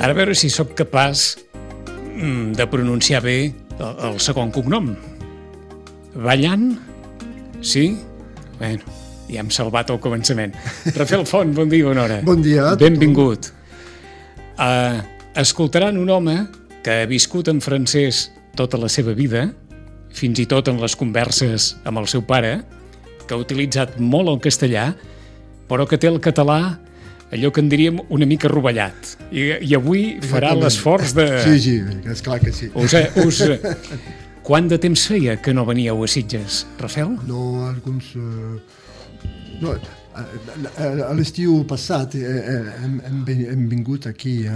Ara a veure si sóc capaç de pronunciar bé el segon cognom. Ballant? Sí? Bueno, ja hem salvat el començament. Rafael Font, bon dia, bona hora. Bon dia. Benvingut. Escoltaran un home que ha viscut en francès tota la seva vida, fins i tot en les converses amb el seu pare, que ha utilitzat molt el castellà, però que té el català, allò que en diríem una mica rovellat. I avui farà l'esforç de... Sí, és clar que sí. Quant de temps feia que no veníeu a Sitges, Rafael? No, alguns... No, a l'estiu passat hem vingut aquí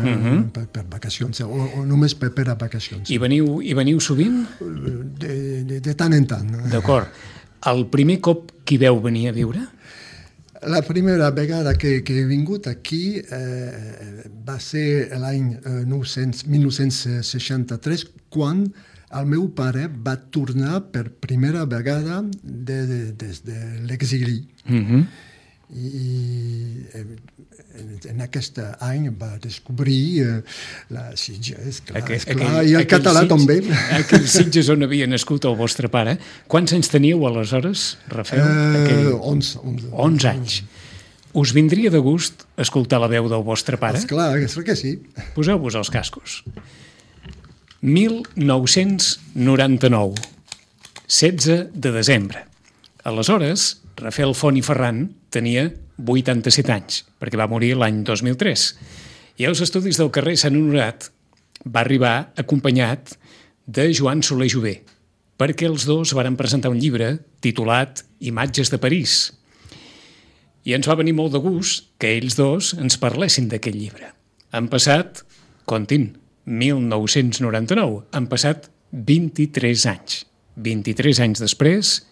per vacacions, o només per a vacacions. I veniu sovint? De tant en tant. D'acord. El primer cop que hi veu venir a viure? La primera vegada que he vingut aquí va ser l'any 1963, quan el meu pare va tornar per primera vegada des de l'exili. I en aquest any va descobrir la Sitges, i el català també. Aquell Sitges on havia nascut el vostre pare. Quants anys teníeu aleshores, Rafael? 11 anys. Us vindria de gust escoltar la veu del vostre pare? Esclar que sí. Poseu-vos els cascos. 1999, 16 de desembre. Aleshores, Rafael Font i Ferran tenia 87 anys, perquè va morir l'any 2003. I als estudis del carrer Sant Honorat va arribar acompanyat de Joan Soler Jové, perquè els dos varen presentar un llibre titulat Imatges de París. I ens va venir molt de gust que ells dos ens parlessin d'aquest llibre. Han passat, comptin, 1999, han passat 23 anys. 23 anys després,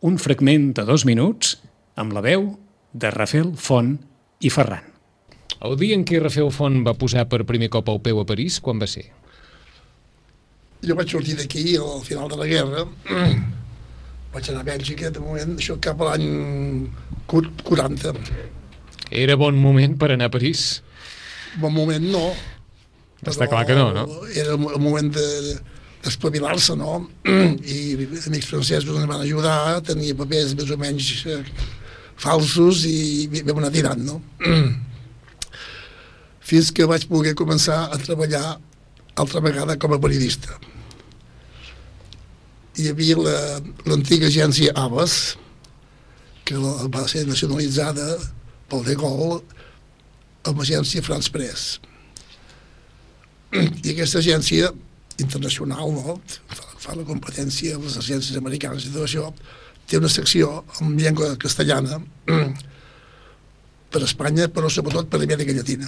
un fragment de 2 minuts amb la veu de Rafael Font i Ferran. El dia en què Rafael Font va posar per primer cop el peu a París, quan va ser? Jo vaig sortir d'aquí al final de la guerra, vaig anar a Bèlgica, de moment, això cap a l'any 40. Era bon moment per anar a París? Bon moment no. Està clar que no, no? Era el moment d'espavilar-se, no? I amics francesos ens van ajudar, tenia papers més o menys falsos i vam anar tirant, no? Fins que vaig poder començar a treballar altra vegada com a periodista. Hi havia l'antiga agència Abbas, que va ser nacionalitzada pel De Gaulle amb l'agència France Press. I aquesta agència internacional, no? Fa la competència amb les agències americanes i tot això, té una secció en llengua castellana per Espanya, però sobretot per Amèrica Llatina.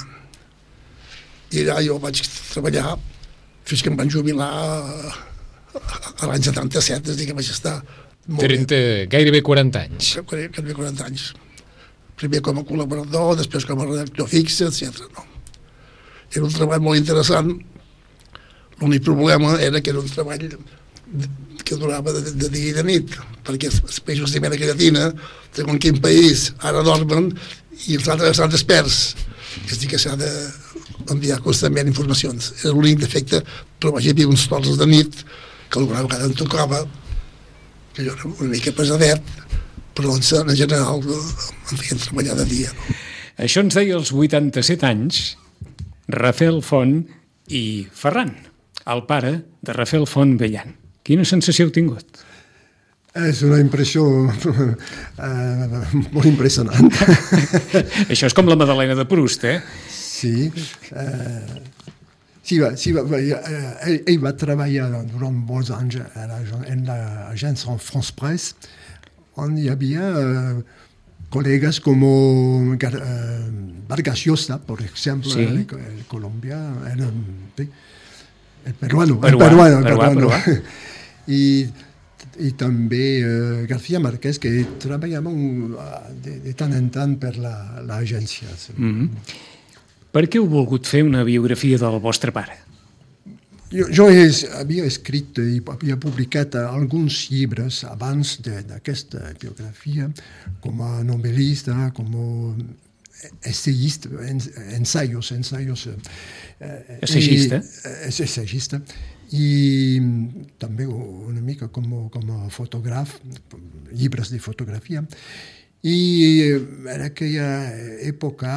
I allà jo vaig treballar fins que em van jubilar a l'any 77, és a dir, que vaig estar gairebé 40 anys. Gairebé 40 anys. Primer com a col·laborador, després com a redactor fix, etc. No? Era un treball molt interessant. L'únic problema era que era un treball que durava de dia i de nit, perquè els països d'Amèrica Llatina, segons quin país, ara dormen i els altres estan desperts. És a dir, que s'ha d'enviar constantment informacions. Era l'únic defecte, però vaig havia uns torns de nit que alguna vegada em tocava, que jo era una mica pesadet, però en general em feien treballar de dia. No? Això ens deia als 87 anys Rafael Font i Ferran, el pare de Rafael Font Bellan. Quina sensació heu tingut? És una impressió molt impressionant. Això és com la Madalena de Proust, eh? Sí. Ell va treballar durant molts anys en l'agència France Press, on hi havia colegas como Vargas Llosa, por ejemplo, sí. En Colombia, el peruano. I també García Márquez, que treballàvem de tant en tant per l'agència. Per què heu volgut fer una biografia del vostre pare? Jo havia escrit i havia publicat alguns llibres abans d'aquesta biografia, com a novel·lista, essayista, ensaios. Assagista. Assagista. I també una mica com a fotògraf, llibres de fotografia. I en aquella època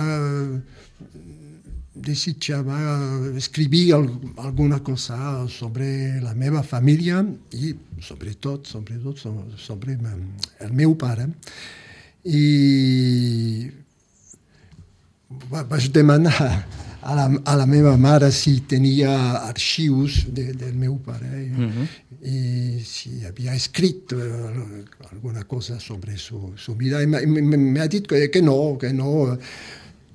desitjava escriure alguna cosa sobre la meva família i sobretot sobre el meu pare. I vaig demanar a la meva mare si tenia arxius del meu pare i si havia escrit alguna cosa sobre su vida. I m'ha dit que no,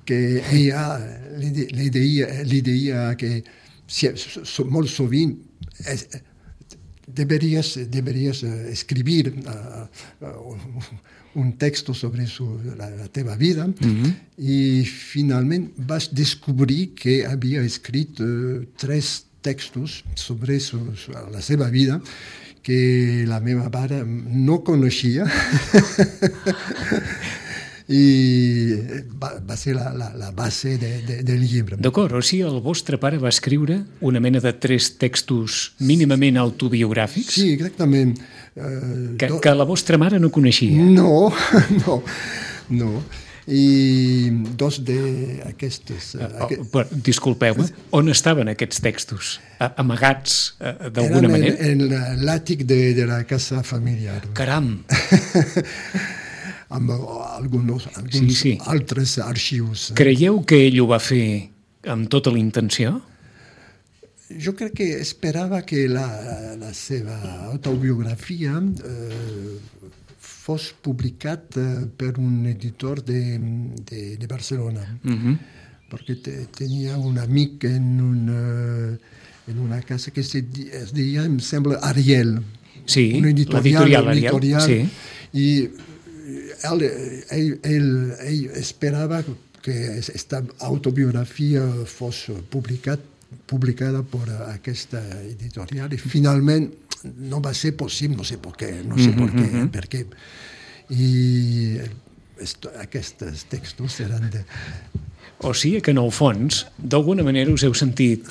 que ella li deia que molt sovint deberies escribir un text sobre la teva vida i finalment vaig descobrir que havia escrit 3 textos sobre la seva vida que la meva mare no coneixia i va ser la base del llibre. D'acord, o sigui, el vostre pare va escriure una mena de 3 textos mínimament autobiogràfics? Sí, exactament. Que la vostra mare no coneixia? No. I 2 d'aquestes... Disculpeu, on estaven aquests textos? Amagats d'alguna manera? Eren en l'àtic de la casa familiar. Caram! Amb alguns altres arxius. Creieu que ell ho va fer amb tota la intenció? Jo crec que esperava que la seva autobiografia fos publicat per un editor de Barcelona. Perquè tenia un amic en una casa que es deia, em sembla, Ariel. Sí, l'editorial Ariel. Sí. I ell esperava que aquesta autobiografia fos publicada per aquesta editorial i finalment no va ser possible, no sé per què. I aquests textos eren de... O sigui que en el fons, d'alguna manera us heu sentit...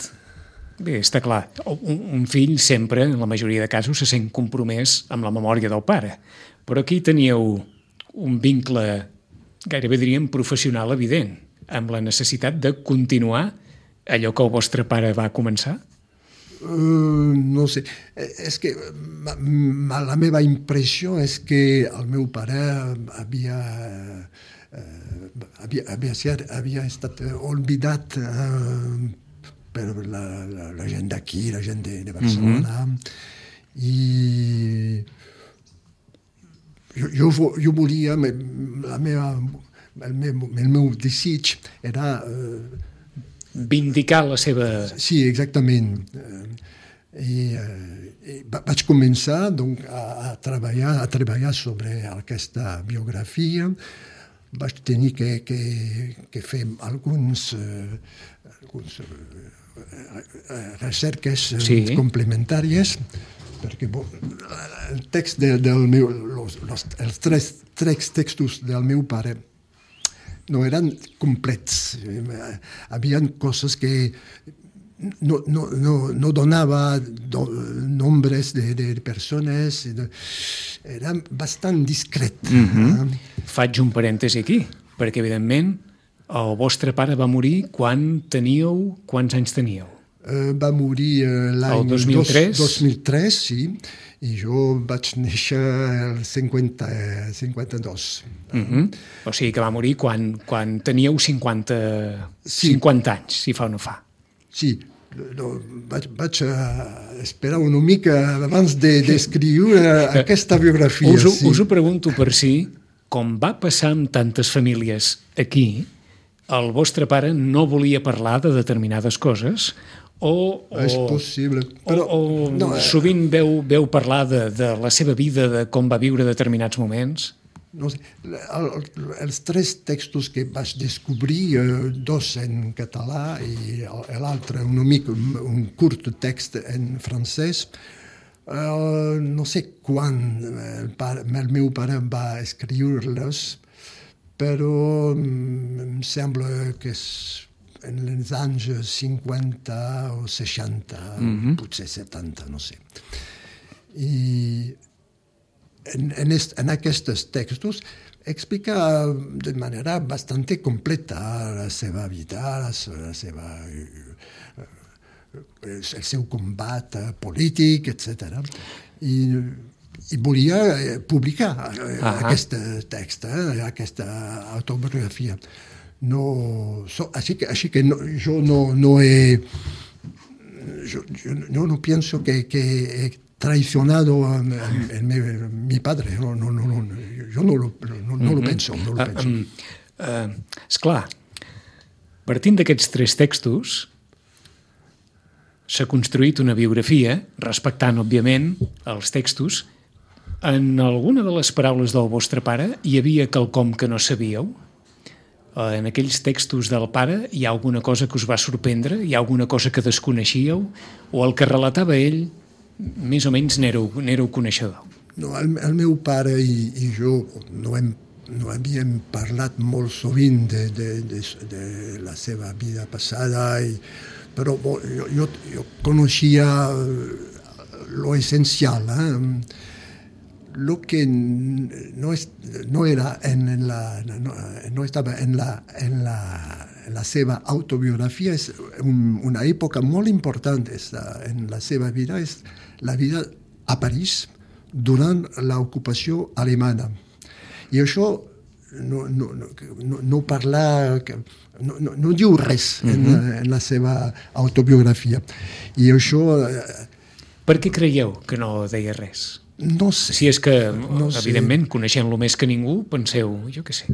Bé, està clar, un fill sempre, en la majoria de casos, se sent compromès amb la memòria del pare. Però aquí teníeu un vincle, gairebé diríem, professional evident, amb la necessitat de continuar allò que el vostre pare va començar? No sé, és que la meva impressió és que el meu pare havia estat oblidat per la gent d'aquí, la gent de Barcelona, i jo volia, el meu desig era... vindicar la seva... Sí, exactament. I vaig començar a treballar sobre aquesta biografia. Vaig tenir que fer alguns recerques complementàries, perquè el text els 3 textos del meu pare no eren complets. Havia coses que no donava nombres de persones, era bastant discret. Faig un parèntesi aquí, perquè evidentment el vostre pare va morir quan teníeu... Quants anys teníeu? Va morir l'any 2003, sí, i jo vaig néixer el 52. O sigui que va morir quan teníeu 50 anys, si fa o no fa. Sí, vaig esperar una mica abans d'escriure aquesta biografia. Us ho pregunto per si, com va passar amb tantes famílies aquí, el vostre pare no volia parlar de determinades coses és possible. Però sovint veu parlar de la seva vida, de com va viure determinats moments? No sé, els 3 textos que vaig descobrir, 2 en català i l'altre un curt text en francès, no sé quan el meu pare va escriure-les, però em sembla que és en els anys 50 o 60, potser 70, no sé. I en aquests textos explica de manera bastante completa la seva vida, el seu combat polític, etc. I volia publicar aquest text, aquesta autobiografia. Així que jo no pienso que he traicionado a mi padre. Yo no lo penso. Esclar, partint d'aquests 3 textos, s'ha construït una biografia, respectant, òbviament, els textos. En alguna de les paraules del vostre pare hi havia quelcom que no sabíeu? En aquells textos del pare hi ha alguna cosa que us va sorprendre? Hi ha alguna cosa que desconeixíeu? O el que relatava ell, més o menys n'éreu coneixedor? No, el meu pare i jo no havíem parlat molt sovint de la seva vida passada, però jo coneixia lo essencial. Lo que no estava en la seva autobiografia és una època molt important en la seva vida, és la vida a París durant l'ocupació alemana. I això no parla, no diu res en la seva autobiografia. I això... Per què creieu que no deia res? No sé. Si és que, evidentment, coneixent-lo més que ningú, penseu, jo què sé.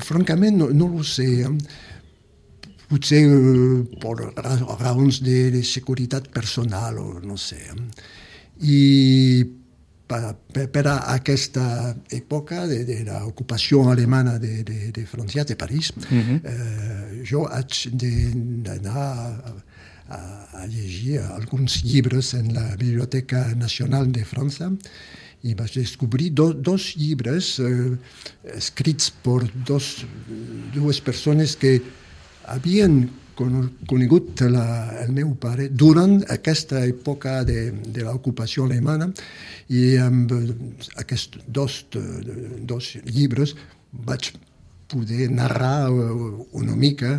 Francament, no ho sé. Potser per raons de seguretat personal, o no sé. I per a aquesta època de l'ocupació alemana de França, de París, jo haig d'anar a llegir alguns llibres en la Biblioteca Nacional de França i vaig descobrir dos llibres escrits per dues persones que havien conegut el meu pare durant aquesta època de l'ocupació alemana, i amb aquests dos llibres vaig poder narrar una mica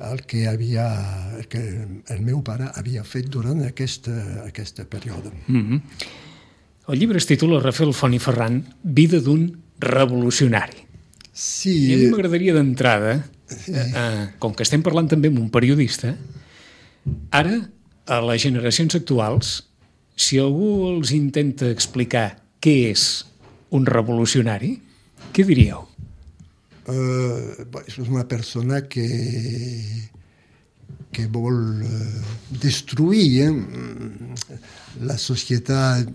el que el meu pare havia fet durant aquest període. El llibre es titula Rafael Font i Ferran, Vida d'un revolucionari. Sí. I a mi m'agradaria d'entrada, com que estem parlant també amb un periodista, ara, a les generacions actuals, si algú els intenta explicar què és un revolucionari, què diríeu? És una persona que vol destruir la societat,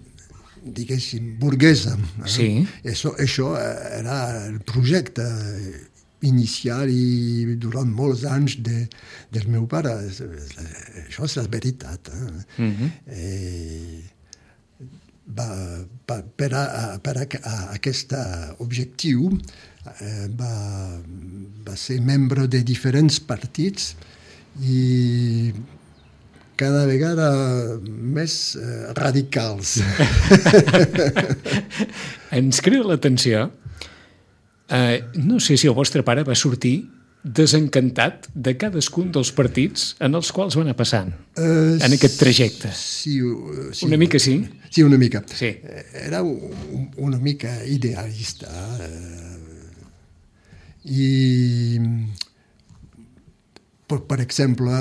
diguéssim, burguesa. Sí. Això era el projecte inicial i durant molts anys del meu pare. Això és la veritat. Per a aquest objectiu va ser membre de diferents partits i cada vegada més radicals. Ens crida l'atenció. No sé si el vostre pare va sortir desencantat de cadascun dels partits en els quals va anar passant en aquest trajecte. Sí. Una mica sí? Sí, una mica. Sí. Era una mica idealista. I, per exemple,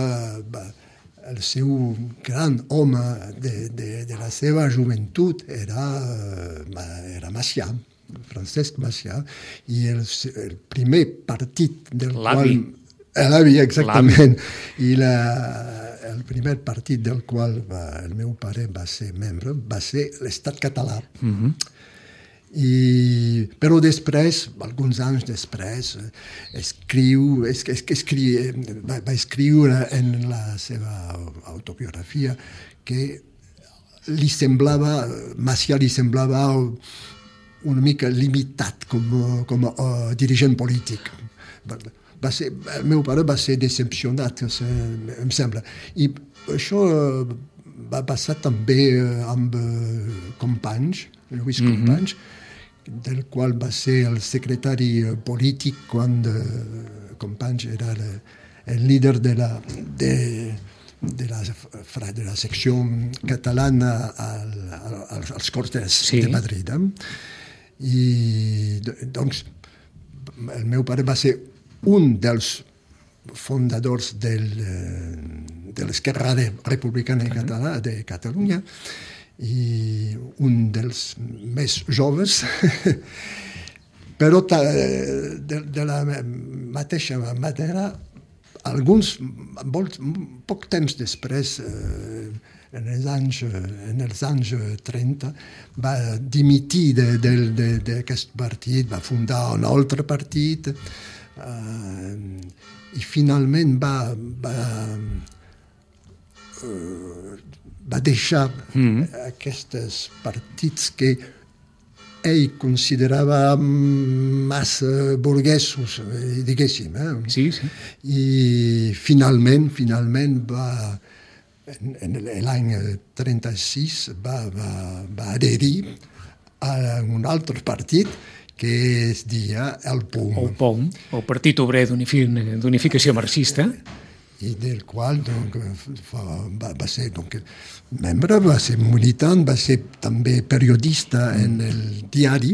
el seu gran home de la seva joventut era Macià, Francesc Macià, i el primer partit del qual... L'avi, exactament. I el primer partit del qual el meu pare va ser membre va ser l'Estat català. Però després, alguns anys després, va escriure en la seva autobiografia que Macià li semblava una mica limitat com a dirigent polític. El meu pare va ser decepcionat, em sembla. I això va passar també amb Companys, Lluís Companys, del qual va ser el secretari polític quan Companys era el líder de la secció catalana als Cortes de Madrid. I doncs el meu pare va ser un dels fundadors de l'Esquerra Republicana de Catalunya i un dels més joves, però de la mateixa manera, poc temps després, en els anys 30, va dimitir d'aquest partit, va fundar un altre partit i finalment va deixar aquests partits que ell considerava massa burguesos, diguéssim. Sí. I finalment va, en l'any 36, va adherir a un altre partit que es deia el POUM. El POUM, el Partit Obrer d'Unificació Marxista. I del qual va ser membre, va ser militant, va ser també periodista en el diari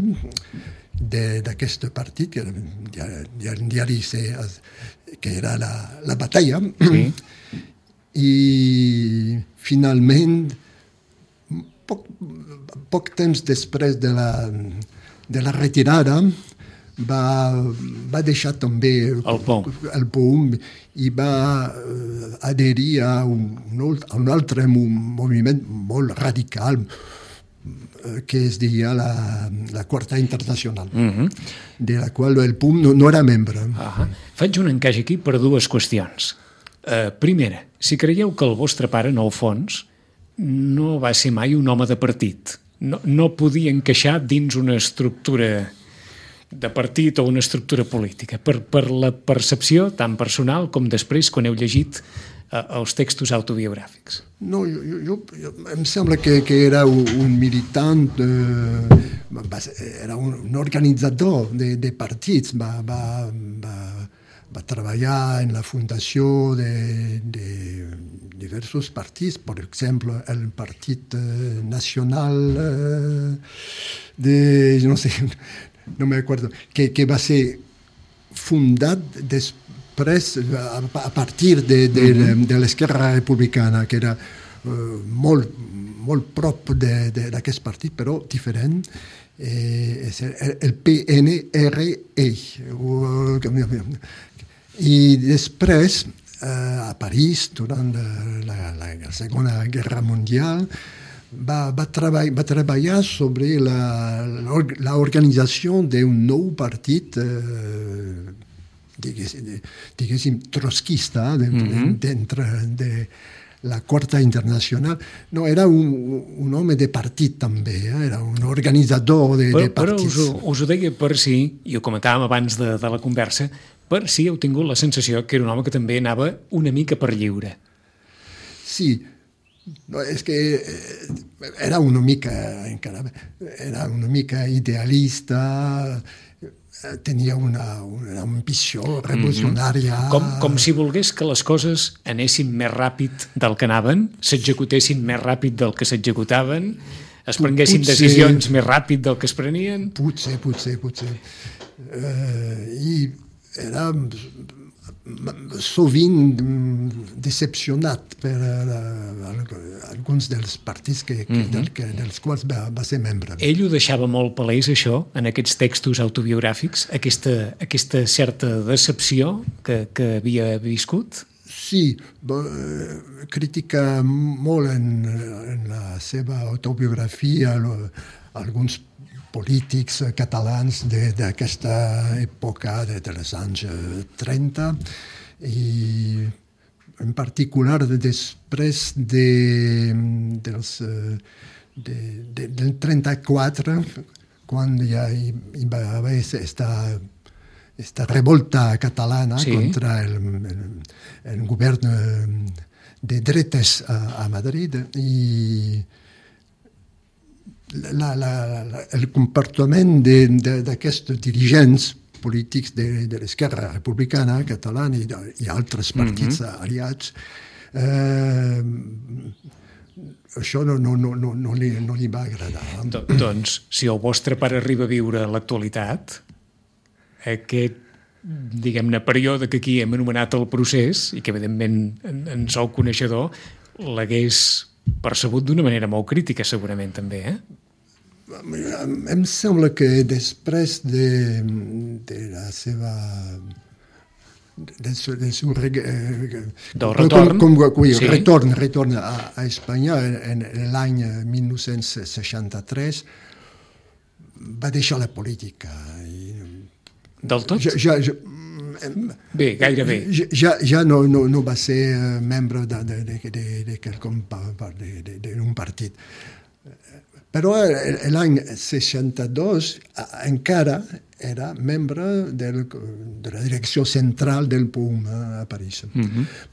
d'aquest partit, que era un diari que era La Batalla. Sí. I finalment, poc temps després de la retirada, va deixar també el POUM i va adherir a un altre moviment molt radical que es deia la Quarta Internacional, de la qual el POUM no era membre. Faig un encaix aquí per dues qüestions. Primera, si creieu que el vostre pare, en el fons, no va ser mai un home de partit, no podia encaixar dins una estructura de partit o una estructura política, per la percepció tan personal com després quan heu llegit els textos autobiogràfics. No, em sembla que era un militant, era un organitzador de partits, va treballar en la fundació de diversos partits, per exemple, el Partit Nacional no me acuerdo, que va ser fundat després a partir de l'Esquerra Republicana, que era molt prop d'aquest partit, però diferent. És el PNRE. I després, a París, durant la Segona Guerra Mundial, va treballar sobre la organització d'un nou partit, diguéssim, trotskista, dintre de la Quarta Internacional. No, era un home de partit també, era un organitzador de partits. Però us ho deia per si, i ho comentàvem abans de la conversa, per si heu tingut la sensació que era un home que també anava una mica per lliure. Sí, no, és que era una mica idealista, tenia una ambició revolucionària. Com si volgués que les coses anessin més ràpid del que anaven, s'executessin més ràpid del que s'executaven, es prenguessin decisions més ràpid del que es prenien. Potser. I era sovint decepcionat per alguns dels partits dels quals va ser membre. Ell ho deixava molt palès, això, en aquests textos autobiogràfics, aquesta certa decepció que havia viscut? Sí, critica molt en la seva autobiografia alguns polítics catalans d'aquesta època, dels anys 30, i en particular després del 34, quan ja hi va haver esta revolta catalana contra el govern de dretes a Madrid i el comportament d'aquests dirigents polítics de l'esquerra republicana catalana i altres partits aliats, això no li va agradar. Doncs, si el vostre pare arriba a viure a l'actualitat, aquest, diguem-ne, període que aquí hem anomenat el procés, i que evidentment en sou coneixedor, l'hagués percebut d'una manera molt crítica, segurament, també, Em sembla que després de la seva... del seu retorn a Espanya en l'any 1963 va deixar la política. Del tot? Bé, gairebé. Ja no va ser membre d'un partit. Però l'any 62 encara era membre de la direcció central del POUM a París.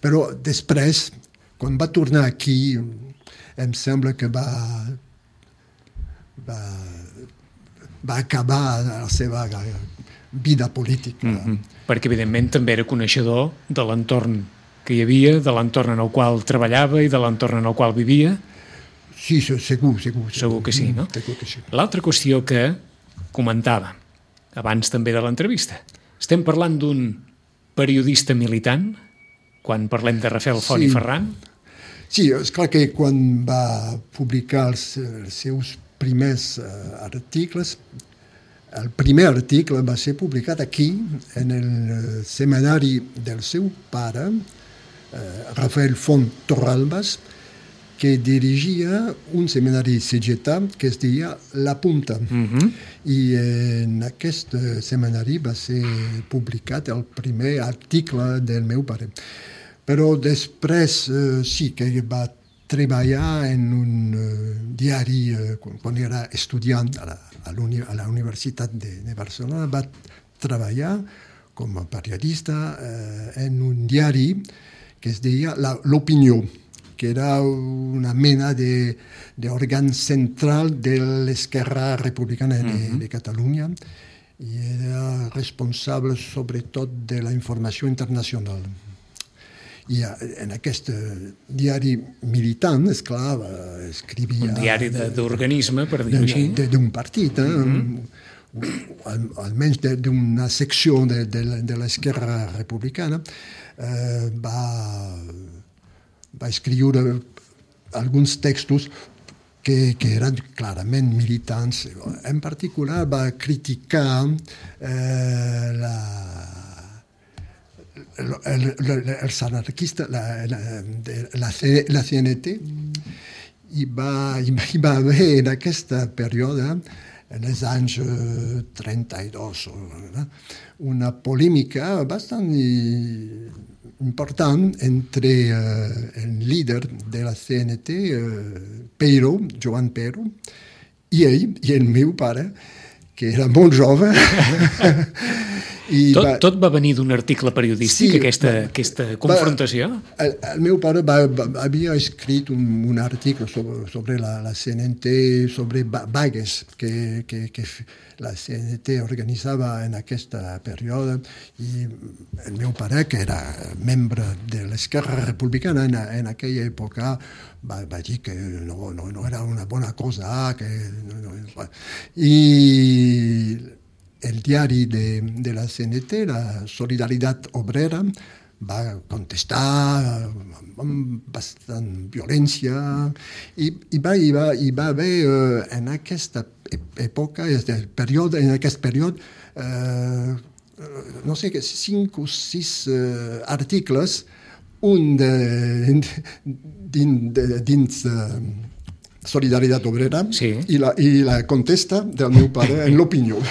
Però després, quan va tornar aquí, em sembla que va acabar la seva vida política. Perquè, evidentment, també era coneixedor de l'entorn que hi havia, de l'entorn en el qual treballava i de l'entorn en el qual vivia. Sí, segur. Segur que sí, no? Segur que sí. L'altra qüestió que comentava, abans també de l'entrevista, estem parlant d'un periodista militant, quan parlem de Rafael Font i Ferran? Sí, és clar que quan va publicar els seus primers articles, el primer article va ser publicat aquí, en el setmanari del seu pare, Rafael Font Torralbas, que dirigia un seminari cegetà que es deia La Punta. I en aquest seminari va ser publicat el primer article del meu pare. Però després sí que va treballar en un diari quan era estudiant a la Universitat de Barcelona. Va treballar com a periodista en un diari que es deia L'Opinió, que era una mena d'òrgan central de l'esquerra republicana de Catalunya i era responsable sobretot de la informació internacional. I en aquest diari militant, esclar, escrivia... Un diari d'organisme, per dir-ho així. D'un partit, almenys d'una secció de l'esquerra republicana, va escriure alguns textos que eren clarament militants. En particular va criticar els anarquistes, la CNT, i va haver en aquest període, en els anys 32, una polèmica bastant important entre el líder de la CNT, Joan Peiro, i ell, i el meu pare, que era molt jove. Tot va venir d'un article periodístic, aquesta confrontació? El meu pare havia escrit un article sobre la CNT, sobre vagues que la CNT organitzava en aquest període, i el meu pare, que era membre de l'esquerra republicana en aquella època, va dir que no era una bona cosa, i el diari de la CNT, la Solidaritat Obrera, va contestar amb bastant violència i va haver en aquesta època, en aquest període, no sé, 5 o 6 articles, un dins Solidaritat Obrera, sí, i la contesta del meu pare en l'Opinió.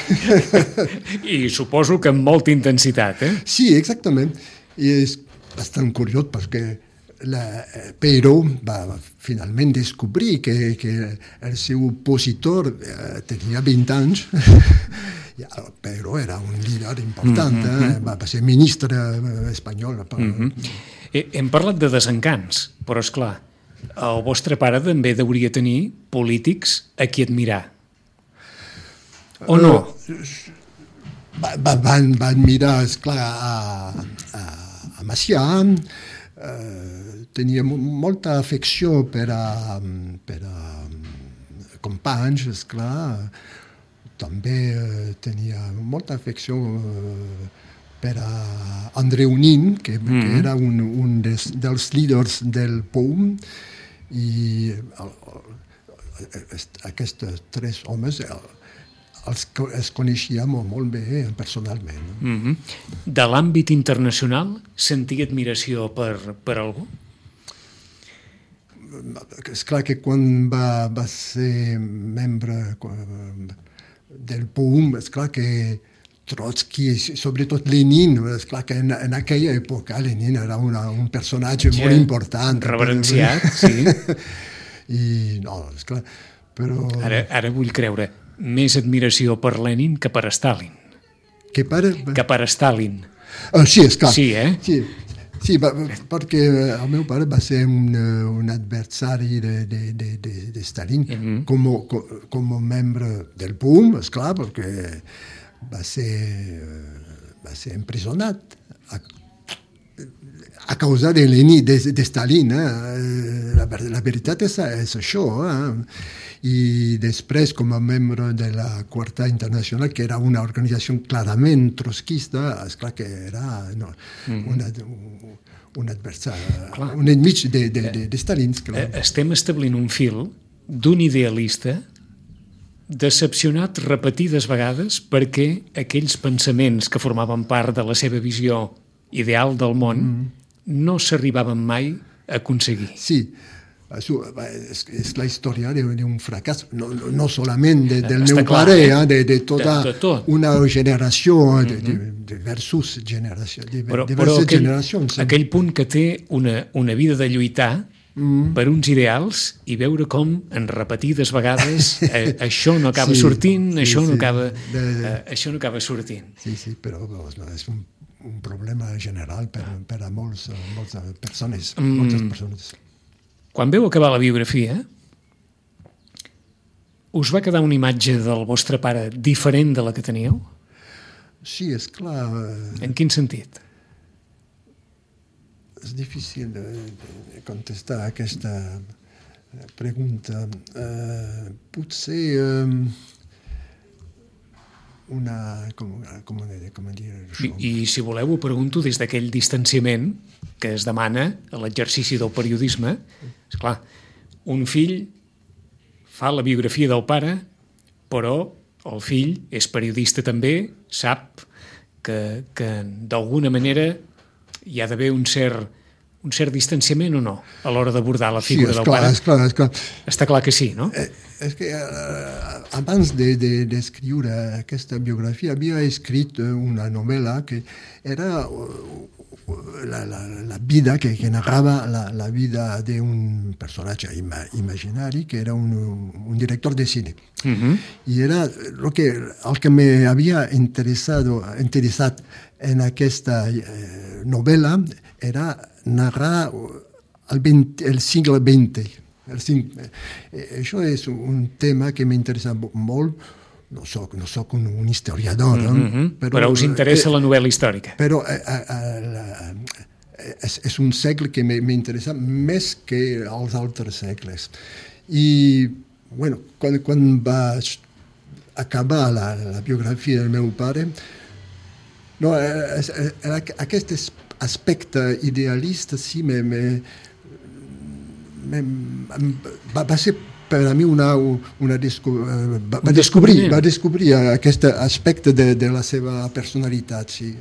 I suposo que amb molta intensitat, Sí, exactament. I és bastant curiós perquè però va finalment descobrir que el seu opositor tenia 20 anys, però era un líder important, va ser ministre espanyol. Hem parlat de desencants, però és clar, el vostre pare també hauria tenir polítics a qui admirar. O no? Van mirar, esclar, a Macià, tenia molta afecció per a companys, esclar, també tenia molta afecció per a Andreu Nin, que era un dels líders del POUM, i aquests tres homes els coneixia molt bé personalment. De l'àmbit internacional, sentia admiració per algú? És clar que quan va ser membre del POUM, és clar que Trotsky, sobretot Lenin, és clar que en aquella època Lenin era un personatge molt important. Reverenciat, sí. I no, és clar, però... Ara vull creure, més admiració per Lenin que per Stalin. Que per Stalin. Sí, és clar. Sí, Sí, perquè el meu pare va ser un adversari de Stalin com a membre del POUM, esclar, perquè va ser empresonat a causa de Lenin, de Stalin. La veritat és això. I després, com a membre de la Quarta Internacional, que era una organització clarament trotskista, esclar que era un adversari, un enmig de Stalin. Estem establint un fil d'un idealista decepcionat repetides vegades perquè aquells pensaments que formaven part de la seva visió ideal del món no s'arribaven mai a aconseguir. Sí, és la història d'un fracàs, no solament del meu pare, de tota una generació, de diverses generacions. Aquell punt que té una vida de lluitar per uns ideals i veure com en repetides vegades això no acaba sortint, això no acaba sortint. Sí, però és un problema general per a moltes persones. Quan veu acabar la biografia, us va quedar una imatge del vostre pare diferent de la que teníeu? Sí, és clar. En quin sentit? És difícil de contestar aquesta pregunta. Potser com dir això? I si voleu ho pregunto des d'aquell distanciament que es demana a l'exercici del periodisme. Esclar, un fill fa la biografia del pare, però el fill és periodista també, sap que d'alguna manera hi ha d'haver un cert distanciament o no a l'hora d'abordar la figura del pare? Sí, és clar. Està clar que sí, no? És que abans d'escriure aquesta biografia havia escrit una novel·la que era la vida que narrava la vida d'un personatge imaginari que era un director de cine. I era el que m'havia interessat en aquesta novel·la era narrar el segle XX. Això és un tema que m'interessa molt. No soc un historiador, però us interessa la novel·la històrica. Però és un segle que m'interessa més que els altres segles. I quan vaig acabar la biografia del meu pare, aquest aspecte idealista sí va ser per a mi va descobrir aquest aspecte de la seva personalitat. Sí.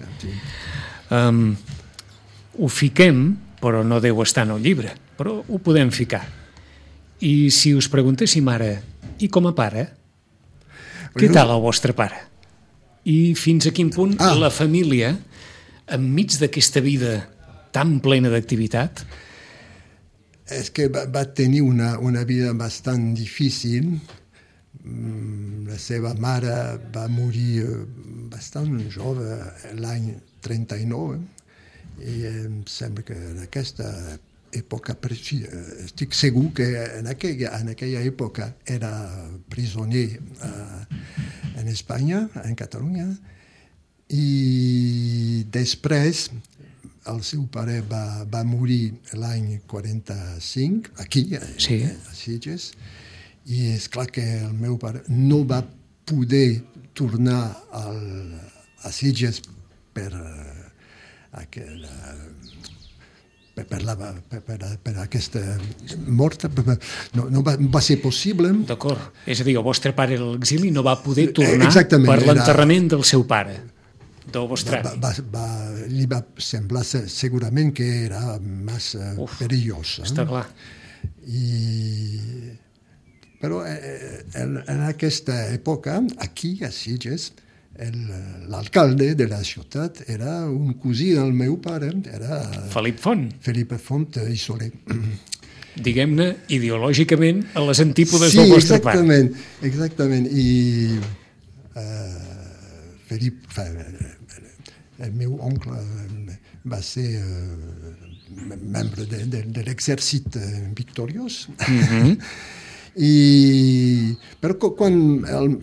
Ho fiquem, però no deu estar en el llibre, però ho podem ficar. I si us preguntéssim ara, i com a pare, què tal el vostre pare? I fins a quin punt la família, enmig d'aquesta vida tan plena d'activitat, és que va tenir una vida bastant difícil. La seva mare va morir bastant jove, l'any 39, i em sembla que en aquesta època, estic segur que en aquella època era prisioner en Espanya, en Catalunya, i després el seu pare va morir l'any 45, aquí, a Sitges, i és clar que el meu pare no va poder tornar a Sitges per aquesta mort. No va ser possible. D'acord. És a dir, el vostre pare a l'exili no va poder tornar per l'enterrament del seu pare, del vostre avi. Li va semblar segurament que era massa perillós. Està clar. Però en aquesta època, aquí a Sitges, l'alcalde de la ciutat era un cosí del meu pare, era Felip Font. Felipe Font i Soler. Diguem-ne, ideològicament, a les antípodes del vostre pare. Sí, exactament. I Felip, el meu oncle, va ser membre de l'exèrcit victoriós. Però quan en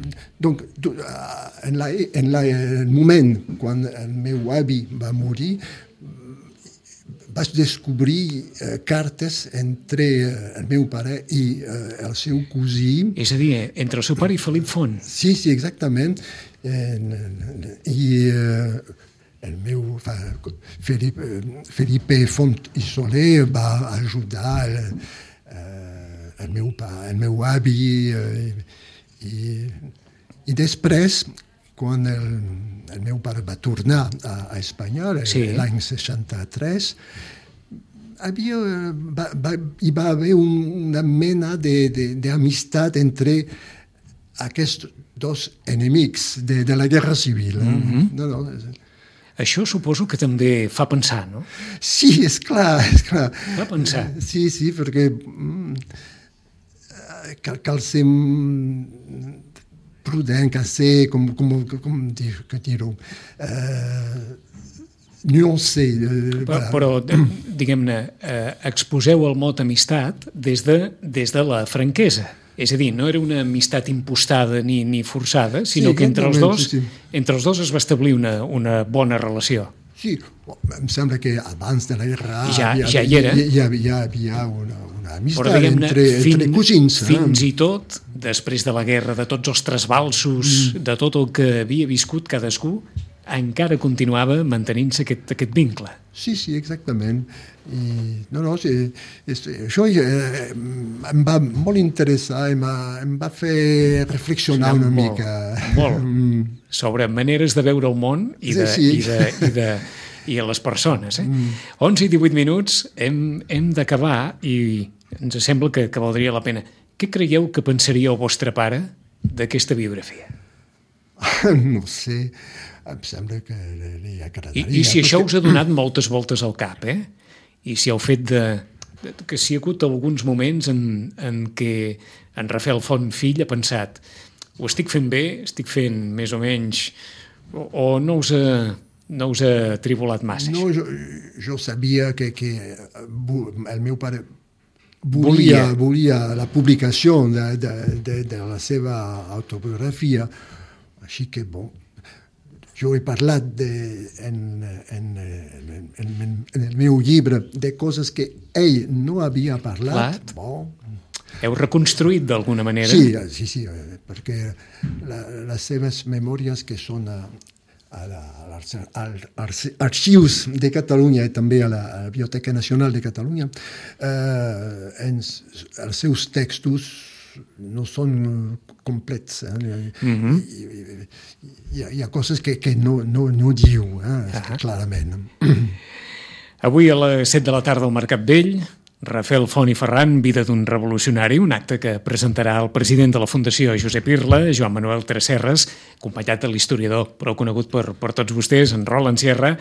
el moment quan el meu avi va morir, vaig descobrir cartes entre el meu pare i el seu cosí. És a dir, entre el seu pare i Felip Font. Sí, exactament. I el meu Felipe Font i Soler va ajudar el meu avi, i després, quan el meu pare va tornar a Espanya, l'any 63, hi va haver una mena d'amistat entre aquests dos enemics de la Guerra Civil. Això suposo que també fa pensar, no? Sí, és clar. Fa pensar. Sí, perquè cal ser prudent, cal ser, com dir-ho, nuancé. Però diguem-ne, exposeu el mot amistat des de la franquesa. És a dir, no era una amistat impostada ni forçada, sinó que entre els dos es va establir una bona relació. Sí, em sembla que abans de la guerra hi havia una amistat entre cosins. Fins i tot, després de la guerra, de tots els trasbalsos, de tot el que havia viscut cadascú, encara continuava mantenint-se aquest vincle. Sí, exactament. Això em va molt interessar, em va fer reflexionar una mica. Molt. Sobre maneres de veure el món i a les persones. 11 i 18 minuts, hem d'acabar i ens sembla que valdria la pena. Què creieu que pensaria el vostre pare d'aquesta biografia? No sé, em sembla que li agradaria. I si això us ha donat moltes voltes al cap, i si el fet que si hi ha hagut alguns moments en què en Rafael Font fill ha pensat ho estic fent bé, estic fent més o menys, o no us ha tribulat massa? No, jo sabia que el meu pare volia la publicació de la seva autobiografia, així que, jo he parlat en el meu llibre de coses que ell no havia parlat. Heu reconstruït d'alguna manera? Sí, perquè les seves memòries, que són als arxius de Catalunya i també a la Biblioteca Nacional de Catalunya, els seus textos no són complets. Hi ha coses que no diu clarament. Avui a les 7 de la tarda al Mercat Vell, Rafael Font i Ferran, Vida d'un revolucionari, un acte que presentarà el president de la Fundació Josep Irla, Joan Manuel Tresserras, acompanyat de l'historiador prou conegut per tots vostès, en Roland Sierra,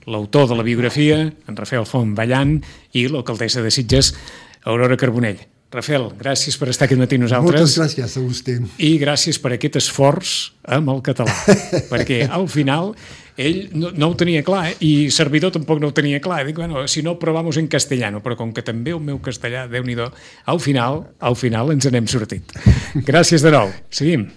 l'autor de la biografia, en Rafael Font ballant, i l'alcaldessa de Sitges, Aurora Carbonell. Rafael, gràcies per estar aquest matí amb nosaltres. Moltes gràcies a vostè. I gràcies per aquest esforç amb el català, perquè al final ell no ho tenia clar, i servidor tampoc no ho tenia clar. Dic, bueno, si no, provamos en castellano, però com que també el meu castellà, Déu-n'hi-do, al final ens n'hem sortit. Gràcies de nou. Seguim.